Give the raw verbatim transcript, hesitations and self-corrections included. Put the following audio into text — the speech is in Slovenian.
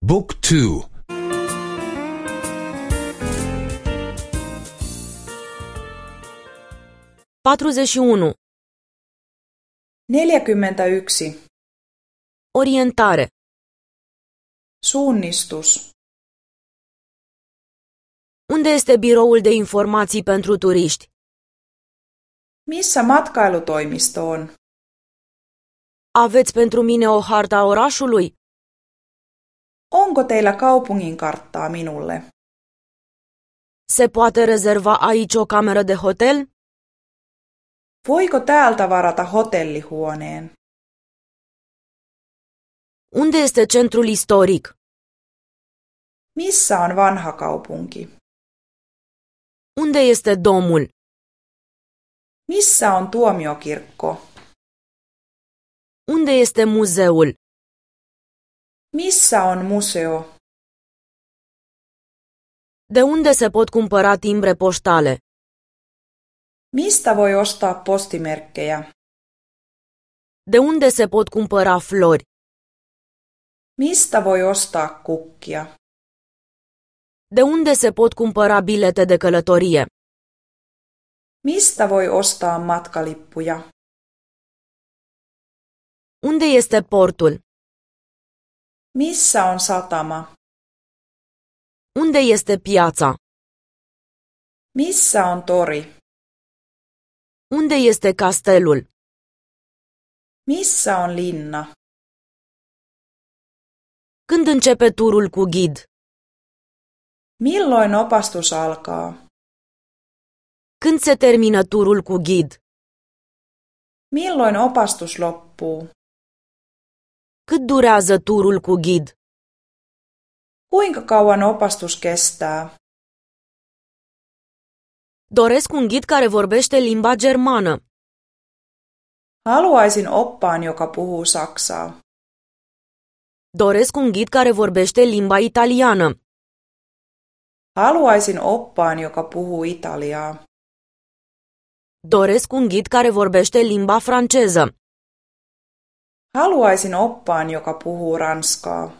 Book two. patruzeci și unu. neljäkymmentäyksi. Orientare. Suunnistus. Unde este biroul de informații pentru turiști? Missä matkailutoimisto on? Aveți pentru mine o harta orașului? Onko teillä kaupungin karttaa minulle? Se poate rezerva aici o cameră de hotel? Voiko täältä varata hotellihuoneen? Unde este centrul istoric? Missä on vanha kaupunki? Unde este domul? Missä on tuomiokirkko? Unde este muzeul? Missä on museo? De unde se pot cumpăra timbre poștale? Mistä voi ostaa postimerkkejä? De unde se pot cumpăra flori? Mistä voi ostaa kukkia? De unde se pot cumpăra bilete de călătorie? Mistä voi ostaa matkalippuja? Unde este portul? Missä on satama? Unde este piața? Missä on tori? Unde este castelul? Missä on linna? Când începe turul cu ghid? Milloin opastus alkaa? Când se termină turul cu ghid? Milloin opastus loppuu? Cât durează turul cu ghid? Kuinka kauan opastus kestää? Doresc un ghid care vorbește limba germană. Haluaisin oppaan, joka puhuu saksaa. Doresc un ghid care vorbește limba italiană. Haluaisin oppaan, joka puhuu italiaa. Doresc un ghid care vorbește limba franceză. Haluaisin oppaan, joka puhuu ranskaa.